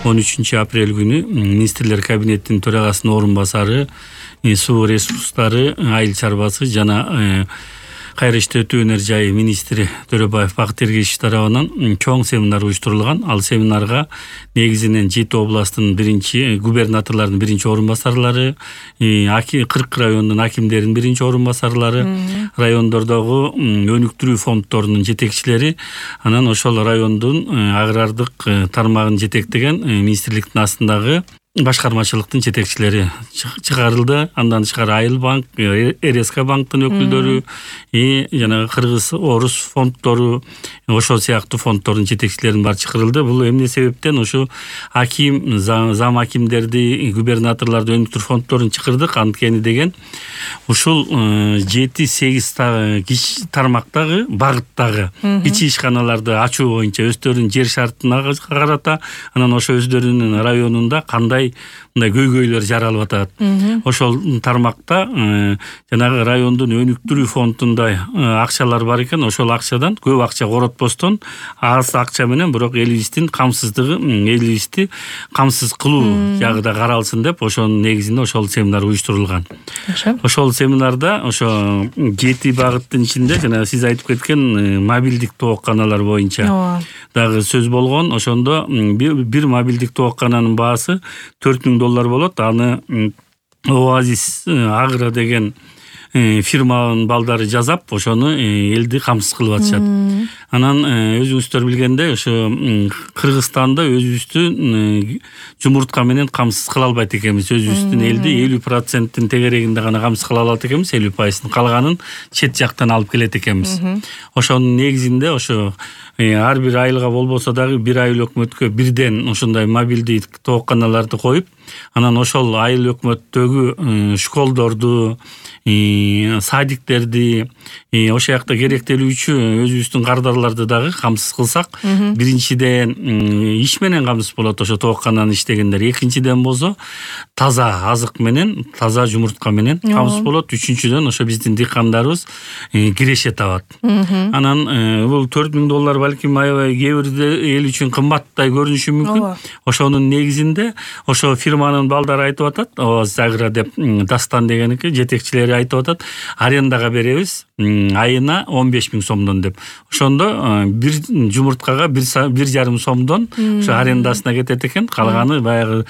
13-апрель күнү министрлер кабинетинин төрагасынын орун басары, суу ресурстары, айыл чарбасы жана кайра иштетүү өнөр жайы министри Төрөбаев Бакыт Эргешев тарабынан чоң семинар уюштурулган. Ал семинарга негизинен 7 областтын губернаторлордун биринчи орун басарлары, 40 райондун акимдеринин биринчи орун басарлары, райондордогу өнүктүрүү фонддорунун жетекчилери, анан ошол райондун агрардык тармагын жетектеген министрликтин астындагы башкармачылыктын жетекчилери чыгарылды. Андан тышкары Айыл банк, РСК банктын өкүлдөрү, жана кыргыз орус фонддору, ошол сыяктуу фонддордун жетекчилеринин баары чакырылды. Бул эмне себептен ошо аким, зам акимдерди, губернаторлорду өнүктүрүү фонддорун чакырдык. Анткени деген ушул 7-8 тармактагы багыттагы ичи ишканаларды ачуу боюнча өздөрүнүн жер шартына карата, анан ошо өздөрүнүн районунда кандай мындай көйгөйлөр жаралып атат. Ошол тармакта жанагы райондун өнүктүрүү фондунда акчалар бар экен. Ошол акчадан көп акча коротпостон аз акча менен бирок элибиздин камсыздыгы, элибизди камсыз кылуу жагы да каралсын деп ошонун негизинде ошол семинар уюштурулган. Ошол семинарда ошо 7 багыттын ичинде жана сиз айтып кеткен мобилдик тоокканалар боюнча дагы сөз болгон. Ошондо бир мобилдик тооккананын баасы $4000 болот. Аны Оазис Агро деген фирманын балдары жасап, ошону элди камсыз кылып атышат. Анан өзүңүздөр билгендей, ошо Кыргызстанда өзүбүздүн жумуртка менен камсыз кыла албайт экенбиз. Өзүбүздүн элди 50%-тин тегерегинде гана камсыз кыла алат экенбиз, 50%-ын калганын чет жактан алып келет экенбиз. Ошонун негизинде ошо ар бир айылга болбосо дагы бир айыл өкмөткө бирден ошондой мобилдик тоокканаларды коюп, анан ошол айыл өкмөттөгү школдорду, садиктерди, ошол жакта керектелүүчү өзүбүздүн кардарларды дагы камсыз кылсак, биринчиден иш менен камсыз болот ошо тооккананы иштегендер. Экинчиден болсо таза азык менен, таза жумуртка менен камсыз болот. Үчүнчүдөн ошо биздин дыйкандарыбыз киреше табат. Анан бул $4000 балким аябай кээ бир эл үчүн кымбаттай көрүнүшү мүмкүн. Ошонун негизинде ошо фирманын балдары айтып атат, Оазис Агро деп Дастан дегеники жетекчилери айтып атат, арендага беребиз айына $15,000 деп. Ошондо бир жумурткага 1,5 сомдон ошо арендасына кетет экен. Калганы баягы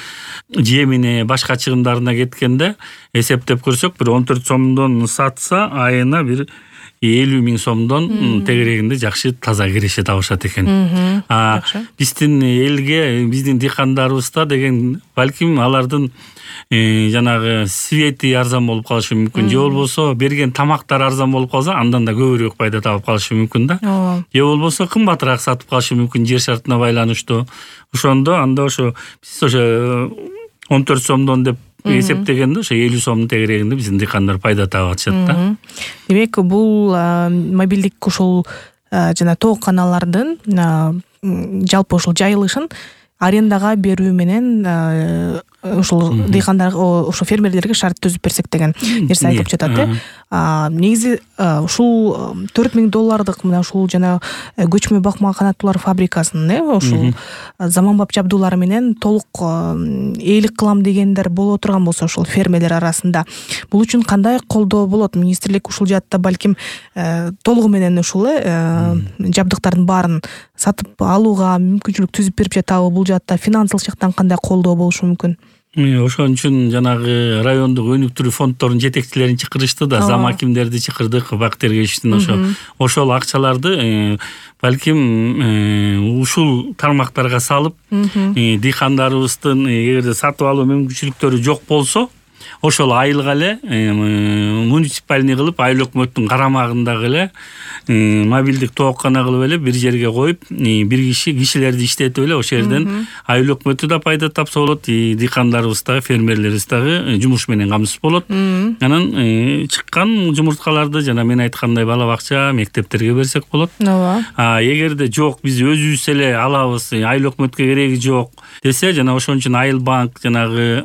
жемине, башка чыгымдарына кеткенде эсептеп көрсөк, бир 14 сомдон сатса айына бир $50,000 тегерегинде жакшы таза киреше табышат экен. Биздин элге, биздин дыйкандарыбызда деген балким алардын жанагы свети арзан болуп калышы мүмкүн. Же болбосо берген тамактар арзан болуп калса, андан да көбүрөөк пайда табып калышы мүмкүн да. Же болбосо кымбатыраак сатып калышы мүмкүн жер шартына байланыштуу. Ошондо анда ошо биз ошо 14 сомдон деп эсептегенде ошо 50 сомдун тегерегинде биздин дыйкандар пайда таап атышат да. Демек, бул мобилдик ушул жана тоокканалардын жалпы ушул жайылышын арендага берүү менен ушул дыйкандарга, ошо фермерлерге шарт түзүп берсек деген нерсе айтып жатат. Негизи ушул $4000 мына ушул жана көчмө бакма канаттуулар фабрикасынын ушул заманбап жабдуулары менен толук ээлик кылам дегендер боло турган болсо ушул фермерлер арасында бул үчүн кандай колдоо болот? Министрлик ушул жаатта балким толугу менен ушул жабдыктардын баарын сатып алууга мүмкүнчүлүк түзүп берип жатабы? Бул жаатта финансылык жактан кандай колдоо болушу мүмкүн? Ошон үчүн жанагы райондук өнүктүрүү фонддорунун жетекчилерин чакырышты да, зам акимдерди чакырдык, Бакыт Эргешевдин ошол акчаларды балким ушул тармактарга салып, дыйкандарыбыздын эгерде сатып алуу мүмкүнчүлүктөрү жок болсо, ошол айылга эле муниципальный кылып, айыл өкмөттүн карамагындагы эле мобилдик тооккана кылып эле бир жерге коюп, бир кишилерди иштетип эле ошол жерден айыл өкмөтү да пайда тапса болот, дыйкандарыбыз дагы, фермерлерибиз дагы жумуш менен камсыз болот. Анан чыккан жумурткаларды жана мен айткандай бала бакча, мектептерге берсек болот. Эгерде жок, биз өзүбүз эле алабыз, айыл өкмөткө кереги жок десе, жана ошон үчүн Айыл банк жанагы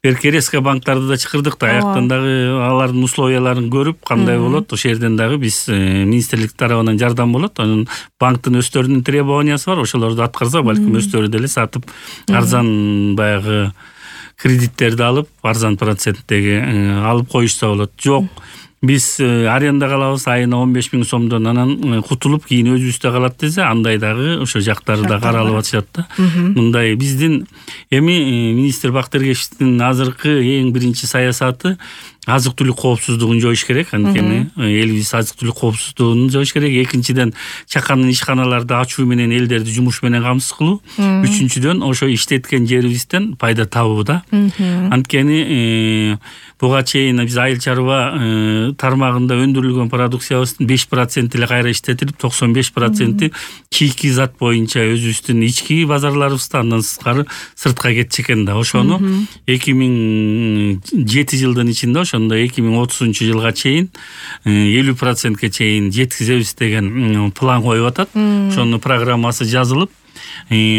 резко банктарды да чакырдык да, аяктан дагы алардын условияларын көрүп кандай болот, ошол жерден дагы биз министрлик тарабынан жардам болот. Анын банктын өздөрүнүн требованиясы бар, ошолорду аткарса балким өздөрү деле сатып арзан баягы кредиттерди алып, арзан проценттеги алып коюшса болот. Жок, биз арендага алабыз айына 15 000 сомдон, анан кутулуп кийин өзүбүздө калат десе, андай дагы ошо жактары да каралып атышат да. Мындай биздин эми министр Бактыргечевдин азыркы эң биринчи саясаты азык-түлүк коопсуздугун жоюш керек. Анткени элибиз азык-түлүк коопсуздугун жоюш керек. Экинчиден, чакан ишканаларды ачуу менен элдерди жумуш менен камсыз кылуу. Үчүнчүдөн, ошо иштеткен жерибизден пайда табуу да. Анткени буга чейин биз айыл чарба тармагында өндүрүлгөн продукциябыздын 5% эле кайра иштетилип, 95% чийки зат боюнча өзүбүздүн ички базарларыбызда, андан сыртка кетчү экен да. Ошону 2007 жылдын ичинде, ошондо 2030 жылга чейин 50%ке чейин жеткизебиз деген план коюп атат. Ошонун программасы жазылып,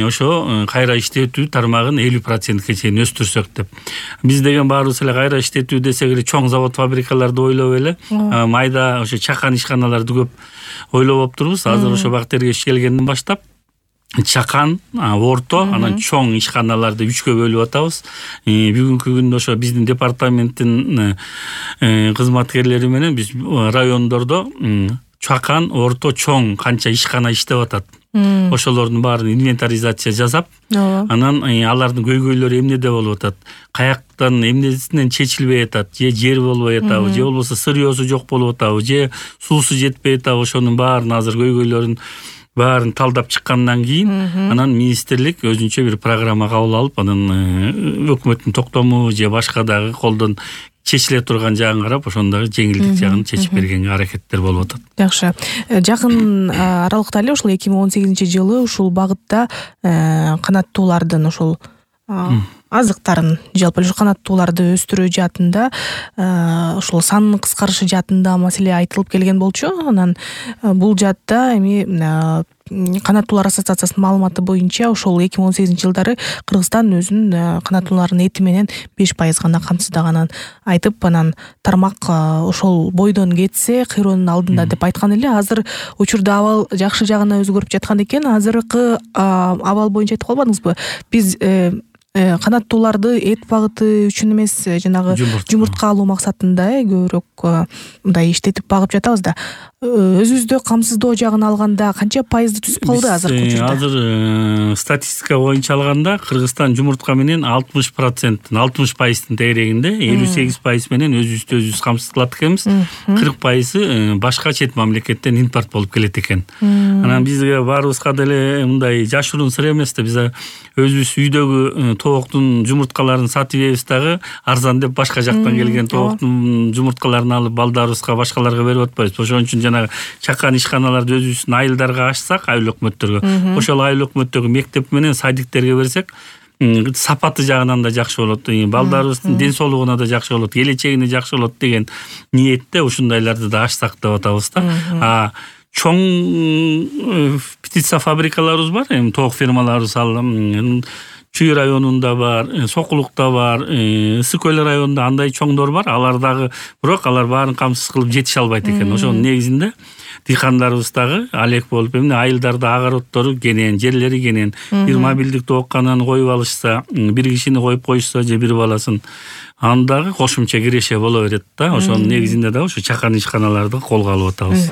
ошо кайра иштетүү тармагын 50%ке чейин өстүрсөк деп. Биз деген баарыбыз эле кайра иштетүү десек эле чоң завод фабрикаларды ойлоп эле, майда ошо чакан ишканаларды көп ойлоп олуптурбуз. Азыр ошо Бактыргеч келгенден баштап чакан, орто, анан чоң ишканаларды 3кө бөлүп атабыз. Бүгүнкү күндө ошо биздин департаменттин кызматкерлери менен биз райондордо чакан, орто, чоң канча ишкана иштеп атат, ошолордун баарын инвентаризация жасап, анан алардын көйгөйлөрү эмнеде болуп атат, каяктан эмнесинен чечилбей атат, же жер болбой атабы, же болбосо сырьёсу жок болуп атабы, же суусу жетпей атабы, ошонун баарын азыр көйгөйлөрүн баарын талдап чыккандан кийин анан министрлик өзүнчө бир программа кабыл алып, анан өкмөттүн токтому же башка дагы колдон чечиле турган жагын карап, ошондогу жеңилдик жагын чечип бергенге аракеттер болуп атат. Жакшы. Жакын аралыкта эле ушул 2018-жылы ушул багытта канаттуулардын ушул азыктарын, жалпы эле канаттууларды өстүрүү жаатында ушул санын кыскарышы жаатында маселе айтылып келген болчу. Анан бул жаатта эми канаттуулар ассоциациясынын маалыматы боюнча ошол 2018-жылдары Кыргызстан өзүнүн канаттуулардын эти менен 5% гана камсыздаганын айтып, анан тармак ошол бойдон кетсе кыйроонун алдында деп айткан эле. Азыр учурда абал жакшы жагына өзгөрүп жаткан экен. Азыркы абал боюнча айтып калбадыңызбы? Биз канаттууларды эт багыты үчүн эмес, жанагы жумуртка алуу максатында көбүрөөк мындай иштетип багып жатабыз да. Өзүбүздө камсыздоо жагын алганда канча пайызды түзүп калды азыркы учурда? Азыр статистика боюнча алганда Кыргызстан жумуртка менен 60%тын тегерегинде, 58% менен өзүбүз камсыз кылат экенбиз. 40% башка чет мамлекеттен импорт болуп келет экен. Анан бизге баарыбызга деле мындай жашыруун сыр эмес да, биз өзүбүз үйдөгү тооктун жумурткаларын сатып жейбиз дагы, арзан деп башка жактан келген тооктун жумурткаларын алып балдарыбызга, башкаларга берип атпайбыз. Ошон үчүн жанагы чакан ишканаларды өзүбүздүн айылдарга ачсак, айыл өкмөттөргө, ошол айыл өкмөттөгү мектеп менен садиктерге берсек, сапаты жагынан да жакшы болот, балдарыбыздын ден соолугуна да жакшы болот, келечегине жакшы болот деген ниетте ушундайларды да ачсак деп атабыз да. Чоң птица фабрикаларыбыз бар, эми тоок фермаларыбыз Чүй районунда бар, Сокулукта бар, Ысык Көл районунда андай чоңдор бар. Алар дагы, бирок алар баарын камсыз кылып жетише албайт экен. Ошонун негизинде дыйкандарыбыз дагы алек болуп, эмне айылдарда огороддору кенен, жерлери кенен, бир мобилдик тооккананы коюп алышса, бир кишини коюп коюшса же бир баласын, андагы кошумча киреше боло берет да. Ошонун негизинде да ушу чакан ишканаларды колго алып атабыз.